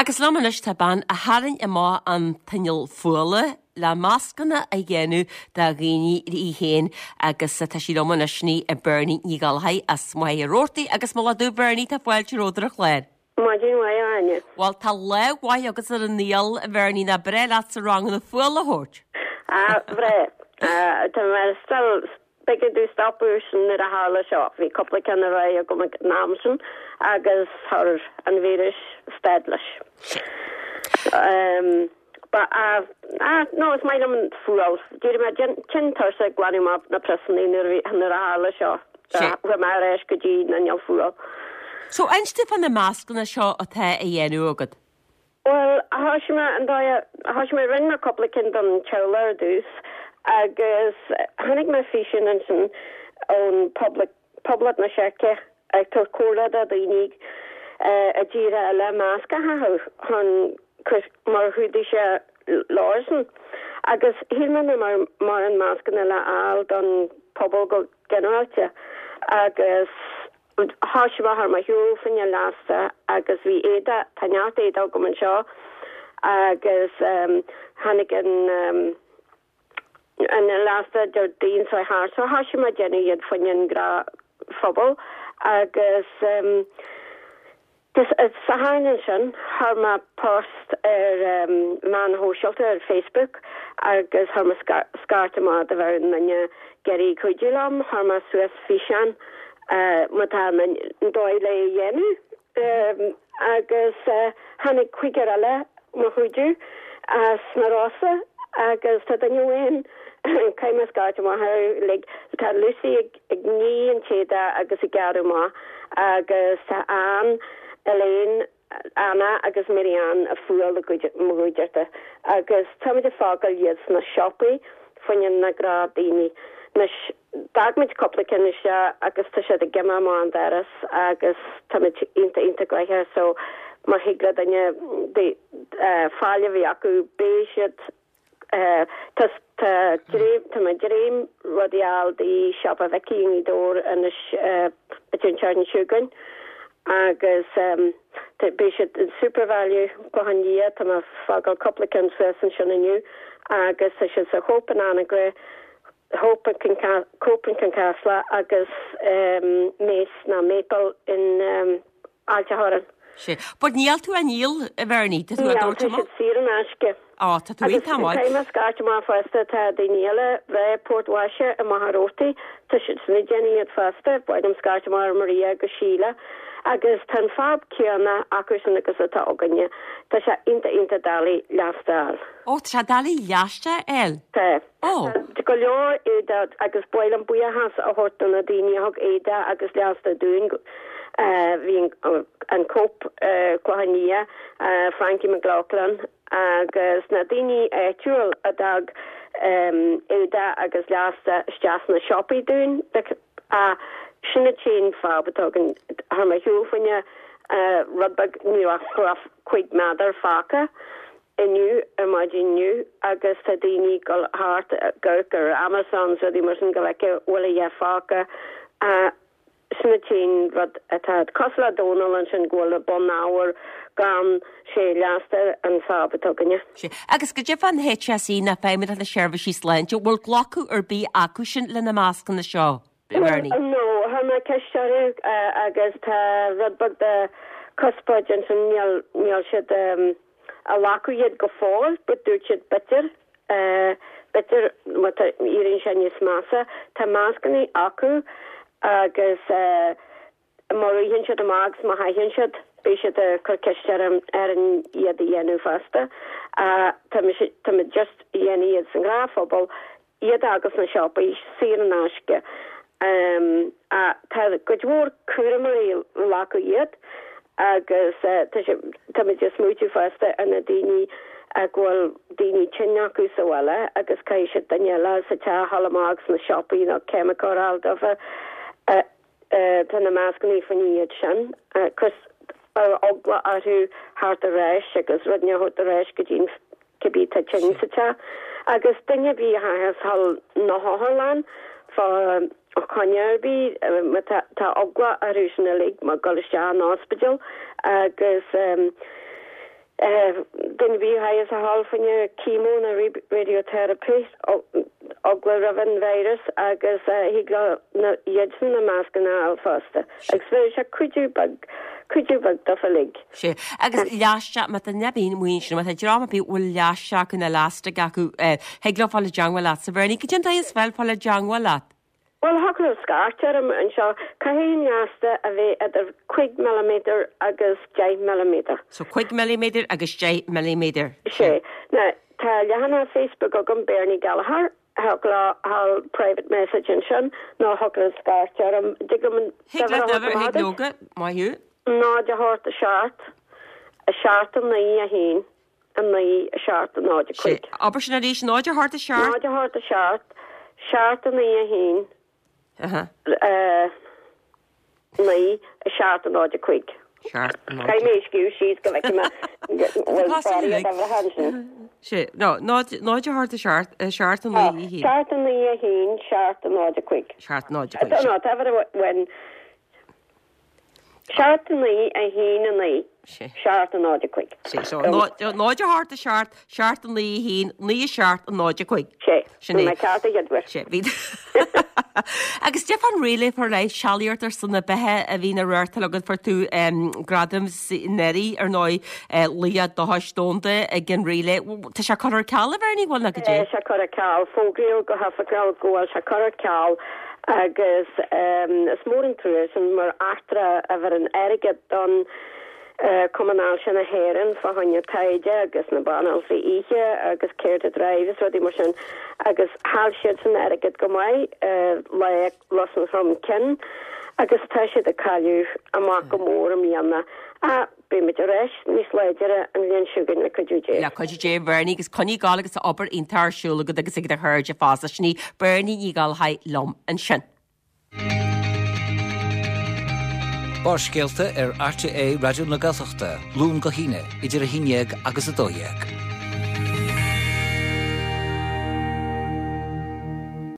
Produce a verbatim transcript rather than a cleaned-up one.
Agus liom anois tá bean a tharraing amach an t-inneall fuála le mascanna a dhéanamh do dhaoine í féin agus tá sí liom anois ní a Bernie Ní Ghallchóir as Machaire Rabhartaigh agus moladh duit Bernie tá fáilte romhat ar an chlár. Maidin mhaith Áine. Well tá lá mhaith agat ar an saol a Bhernie nach breá leatsa ranganna fuála a thabhairt. Ah bhreá Tá mé still b'éigean domh stopadh sin nuair a tharla seo, bhí cúpla ceann ar aghaidh agam ag an am sin agus chuir an víreas stad leis. Um, ba uh, ah, no is maith liom an fuáil. D'éirigh mé tinn tuirseach ag glanadh amach na priosanna nuair a nuair a tharla seo. Chuaigh mé ar ais go dtí an inneall fuála. So inis domh fá na mascanna seo atá a dhéanamh agat. Well thosaigh mé an dóigh thosaigh mé rinne mé cúpla ceann don teaghlach ar dtús agus tháinig mé físeán ansin ón Poblacht Poblacht na Seice ag tabhairt comhairle do daoine i dtíortha eile masc a chaitheamh chun mar chuidigh sé leosan. Agus shíl mé mar mar an mascanna le fháil don pobal go ginearálta agus thosaigh mé ar mo shiúl fá choinne liosta agus bhí éadaí tá neart éadaí agam anseo agus um, tháinig an um, an liosta Déardaoin seo thart so thosaigh mé déanamh iad fá choinne an gnáthphobal agus um, Satharn ansin chuir mé post ar um, meáin shóisialta ar Facebook agus chuir mé scairt amach do bhí aon duine ag iarraidh cuidiú liom chuir mé suas físeán uh, má tá an dóigh le dhéanamh um, agus uh, tháinig cúigear eile mo chuidiú as na Rosa agus tá duine amháin caithfidh mé scairt amach le tá Lucy ag, ag ní an t-éadaí agus ag gearradh amach agus tá Ann Elaine Anna agus Marianne ag fuáil mo chuideachta agus táimid ag fágáil iad sna siopaí fá choinne na gnáthdhaoine. Anois d'fhág muid cúpla ceann isteach agus tá siad ag imeacht amach an doras agus táimid iontach iontach gnoitheach so má thig le duine fáil a bhí acu beidh siad Tá tá mé dréim rudaí dí siopa Vicky i nDobhar anois an tseachtain seo chugainn agus um, beidh siad in Supervalu Clochán Liath tá mé ag fágáil cúpla ceann suas ansin inniu agus tá siad sa Hope in Anagaire Hope Cope in Casla agus um, Mace na Maple in um, Ailt an Chorráin. Sé. But níl tú á ndíol a Bhernie tú dúirt saor in aisce. Á tá tú tá Tá scairt amach fosta tá daoine eile bheith Port Waise i Machaire Rabhartaigh tá siad ag déanamh iad fosta, ba scairt amach Maria agus Síle. agus tá an fadhb céanna acu sin agus atá againne Tá sé iontach iontach doiligh liosta a fháil. Ó tá doiligh liosta a fháil? Tá Ó go leor éadaí agus ba mhaith liom buíochas a thabhairt do na daoine a thug éadaí agus liosta dúinn bhí an Cope Clochán Liath Frankie McLaughlin agus na daoine áitiúil a d'fhág éadaí agus liosta isteach sna siopaí dúinn sin an t-aon fadhb atá againn thar mar shiúlfaine rud beag ní raibh cúig méadar fágtha inniu ar maidin inniu agus tá daoine ag dul thart gur gur Amazon rudaí mar sin go bhfeice bhfuil a dhath fágtha sin an t-aon rud atá cosúil le Dónal ansin go bhfuil bunábhar gan sé liosta an fadhb atá againne. Agus go deimhin an HSE na Feidhmeannacht na Seirbhísí Sláinte bhfuil glacadh ar bith acu sin le na mascanna seo. No chuir mé ceist orthu agus tá rud beag de conspóid ansin níl níl siad um, a ghlacadh iad go fóill, but dúirt siad b'fhéidir b'fhéidir éiríonn sé níos measa Tá mascanna acu agus uh, má ritheann siad amach má théann siad beidh siad cur ceist ar ar an iad a dhéanamh fosta. Uh, tá just dhéanamh iad san ghnáthphobal iad agus na siopaí saor in aisce. Um, uh, tá go mhór cúramóirí ag glacadh iad agus uh, tá muid ag smaoitiú fosta ar na daoine a bhfuil daoine tinn acu sa bhaile agus caithfidh siad duine eile sa teach a dhul amach sna siopaí nó ceimiceoir a fháil dófa uh, uh, tá na mascanna fá choinne iad sin cos ar eagla orthu thart ar ais agus rud a thabhairt ar ais go dtí cibé tá tinn sa teach agus duine bhí thall na hotharlann fá choinne ar bith tá eagla orthu sin uilig mar dul isteach an ospidéal agus um, Duine ar bith a chaithfeas a dhul fá choinne chemo nó radiotherapy eagla roimh an virus agus thig leo na iadsan na mascanna a fháil fosta. Agus bheadh sé cuidiú beag cuidiú beag dófa uilig. Sé. Agus leaisteach má tá duine ar bith amuigh ansin má tá dream ar bith a bhfuil leaisteach acu nó lastic acu thig leo fáil i dteangmháil leatsa. Bernie, cad é an dóigh is fearr fáil i dteangmháil leat? Bhuel, thiocfadh leo scairt orm anseo. Caithfidh an lasta a bheith idir cúig milliméadar agus deich milliméadar. So cúig milliméadar agus deich milliméadar. Sé. Now, tá leathanach Facebook agam Bernie Gallagher, thiocfadh leo a dhul private message ansin nó thiocfadh leo scairt orm. Dtig liom an Thig leat uimhir a uimhir, thabhairt thig leoga, maith thú. Náid a hocht a seacht, a seacht a naoi a haon, a naoi a seacht a náid a Sé. cúig. Abair sin arís, náid a hocht a seacht. Náid a hocht a seacht, seacht a naoi a haon. Aha. Naoi, a seacht, a náid, a cúig. Seacht, a náid. Caithfidh mé a scríobh síos go bhfeicfidh mé bhfuil Tá fáirí uilig. a bheith ansin. Sé, no, náid, náid a hocht a seacht, a seacht, a naoi, a haon. Seacht, a naoi, a haon, seacht, a náid, a cúig. Seacht, náid, a cúig. No, tá a bhain. Seacht, a naoi, a haon, a naoi. Sé. Seacht, a náid, a cúig. Sé, so, náid a hocht a seacht, seacht, a naoi, a haon, naoi, a seacht, a náid, a cúig. Sé. Sin é. Bhí mé ceart a chéad uair. Sé, bhí. Agus cad é fán Relay for Life sealaíocht ar son na beatha a bhí na réirtal agat fuair tú um, gradam anuraidh ar ndóigh uh, Laoch Dóchais Domhanda ag an Relay. Tá sé curtha ar ceal a Bhernie bhfuil na go dtí? Tá sé curtha ar ceal fógraíodh go hoifigiúil go bhfuil sé curtha ar ceal agus um, is mór an trua sin mar eachtra a bheireann airgead don uh, Cumann Ailse na hÉireann fá choinne taighde agus na banaltraí oíche agus Care to Drive is rudaí mar sin agus chaill siad san airgead go maith uh, le Lus an Chromchinn agus tá siad ag cailleadh amach go mór i mbliana. A beimid ar ais níos láidre an bhliain seo chugainn le cuidiú Dé. Le cuidiú Dé Bernie agus coinnigh ag gabháil agus obair iontach ar siúl agat agus ag do chairde fosta sin í Bernie Ní Ghallchóir liom ansin. Barrscéalta ar RTÉ Raidió na Gaeltachta, Luan go hAoine, idir a haon déag agus a dó dhéag.